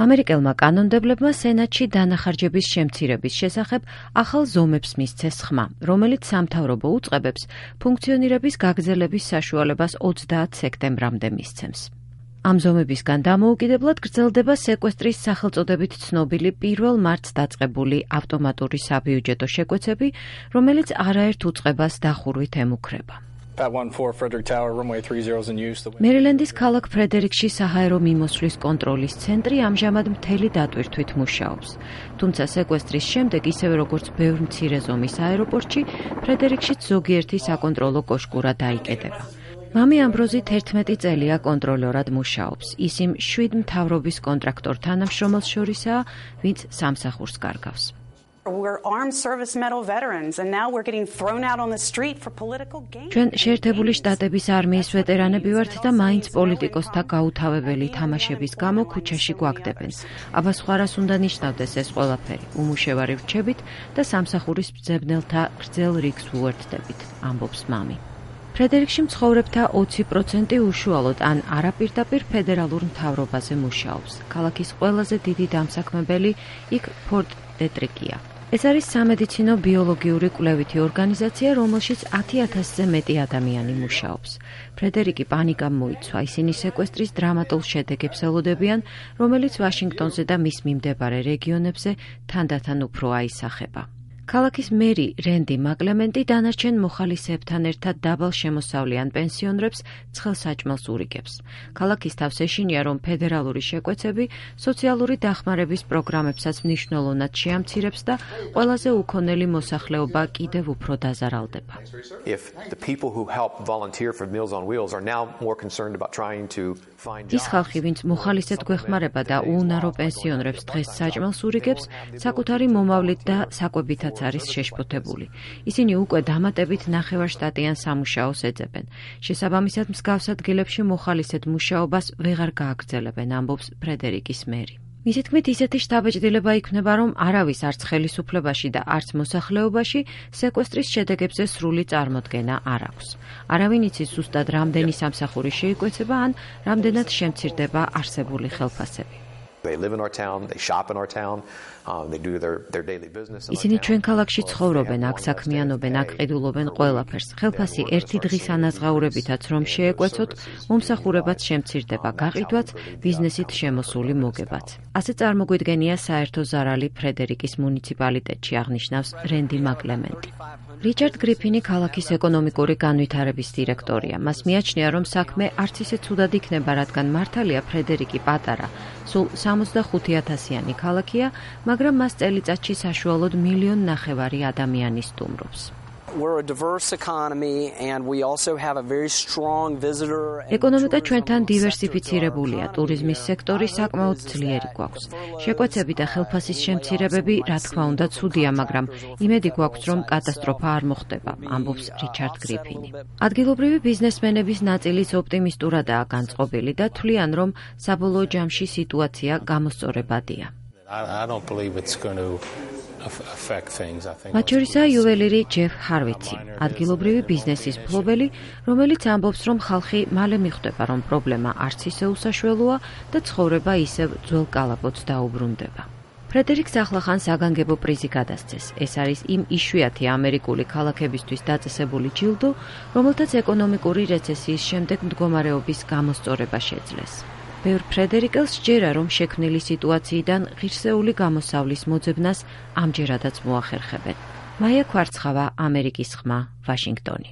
ამერიკელმა კანონმდებლებმა სენატში დანახარჯების შემცირების შესახებ ახალ ზომებს მისცეს ხმა, რომელიც სამთავრობო უწყებებს ფუნქციონირების გაგრძელების საშუალებას 30 სექტემბრამდე მისცემს. ამ ზომებისგან დამოუკიდებლად გრძელდება სეკვესტრის სახელწოდებით ცნობილი 1 მარტს დაწყებული ავტომატური საბიუჯეტო შეკვეცები, რომელიც არაერთ უწყებას დახურვით ემუქრება. მერილენდის ქალაქ ფრედერიკში საჰაერო მიმოსვლის კონტროლის ცენტრი ამჟამად მთელი დატვირთვით მუშაობს. თუმცა სეკვესტრის შემდეგ, ისევე როგორც ბევრ მცირე ზომის აეროპორტში, ფრედერიკშიც ზოგიერთი საკონტროლო კოშკურა დაიკეტება. მამი ამბროზი 11 წელია კონტროლორად მუშაობს. ის იმ 7 მთავრობის კონტრაქტორ თანამშრომელს შორისაა, ვინც სამსახურს კარგავს. ჩვენ შეერთებული შტატების არმიის ვეტერანები ვართ და მაინც პოლიტიკოსთა გაუთავებელი თამაშების გამო ქუჩაში გვაგდებენ. აბა სხვა რას უნდა ნიშნავდეს ეს ყველაფერი? უმუშევარი ვრჩებით და სამსახურის მძებნელთა გრძელ რიგს უერთდებით, ამბობს მამი. ფრედერიკში მცხოვრებთა 20% უშუალოდ ან არაპირდაპირ ფედერალურ მთავრობაზე მუშაობს. ქალაქის ყველაზე დიდი დამსაქმებელი იქ ფორტ დეტრიკია. ეს არის სამედიცინო ბიოლოგიური კვლევითი ორგანიზაცია, რომელშიც 10,000-ზე მეტი ადამიანი მუშაობს. ფრედერიკი პანიკამ მოიცვა, ისინი სეკვესტრის დრამატულ შედეგებს ელოდებიან, რომელიც ვაშინგტონზე და მის მიმდებარე რეგიონებზე თანდათან უფრო აისახება. ქალაქის მერი რენდი მაკლემენტი დანარჩენ მოხალისეებთან ერთად დაბალ შემოსავლიან პენსიონერებს ცხელსაჭმელს ურიგებს. ქალაქის თავს ეშინია, რომ ფედერალური შეკვეცები სოციალური დახმარების პროგრამებსაც მნიშვნელოვნად შეამცირებს და ყველაზე უქონელი მოსახლეობა კიდევ უფრო დაზარალდება. ის ხალხი, ვინც მოხალისედ გვეხმარება და უუნარო პენსიონერებს დღეს საჭმელს ურიგებს, საკუთარი მომავლით და საკვებითაც არის შეშფოთებული. ისინი უკვე დამატებით ნახევარშტატიან სამუშაოს ეძებენ. შესაბამისად, მსგავს ადგილებში მოხალისედ მუშაობას ვეღარ გააგრძელებენ, ამბობს ფრედერიკის მერი. მისი თქმით, ისეთი შთაბეჭდილება იქნება, რომ არავის არც ხელისუფლებაში და არც მოსახლეობაში სეკვესტრის შედეგებზე სრული წარმოდგენა არ აქვს. არავინ იცის ზუსტად რამდენი სამსახური შეიკვეცება ან რამდენად შემცირდება არსებული ხელფასები. ისინი ჩვენ ქალაქში ცხოვრობენ, აქ საქმიანობენ, აქ ყიდულობენ ყველაფერს. ხელფასი ერთი დღის ანაზღაურებითაც რომ შეეკვეცოთ, მომსახურებაც შემცირდება, გაყიდვაც, ბიზნესით შემოსული მოგებაც. ასე წარმოგვიდგენია საერთო ზარალი ფრედერიკის მუნიციპალიტეტში, აღნიშნავს რენდი მაკლემენტი. რიჩარდ გრიფინი ქალაქის ეკონომიკური განვითარების დირექტორია. მას მიაჩნია, რომ საქმე არც ისე ცუდად იქნება, რადგან მართალია ფრედერიკი პატარა, სულ 65,000-იანი ქალაქია, მაგრამ მას წელიწადში საშუალოდ 1,5 მილიონი ადამიანი სტუმრობს. ეკონომიკა ჩვენთან დივერსიფიცირებულია, ტურიზმის სექტორი საკმაოდ ძლიერი გვაქვს. შეკვეცები და ხელფასის შემცირებები, რა თქმა უნდა, ცუდია, მაგრამ იმედი გვაქვს, რომ კატასტროფა არ მოხდება, ამბობს რიჩარდ გრიფინი. ადგილობრივი ბიზნესმენების ნაწილიც ოპტიმისტურადაა განწყობილი და თვლიან, რომ საბოლოო ჯამში სიტუაცია გამოსწორებადია. მათ შორისაა იუველირი ჯეფ ჰარვიცი, ადგილობრივი ბიზნესის მფლობელი, რომელიც ამბობს, რომ ხალხი მალე მიხვდება, რომ პრობლემა არც ისე უსაშველოა და ცხოვრება ისევ ძველ კალაპოტს დაუბრუნდება. ფრედერიკს ახლახან საგანგებო პრიზი გადასცეს. ეს არის იმ იშვიათი ამერიკული ქალაქებისთვის დაწესებული ჯილდო, რომელთაც ეკონომიკური რეცესიის შემდეგ მდგომარეობის გამოსწორება შეძლეს. ბევრ ფრედერიკელს სჯერა, რომ შექმნილი სიტუაციიდან ღირსეული გამოსავლის მოძებნას ამჯერადაც მოახერხებენ. მაია ქვარცხავა, ამერიკის ხმა, ვაშინგტონი.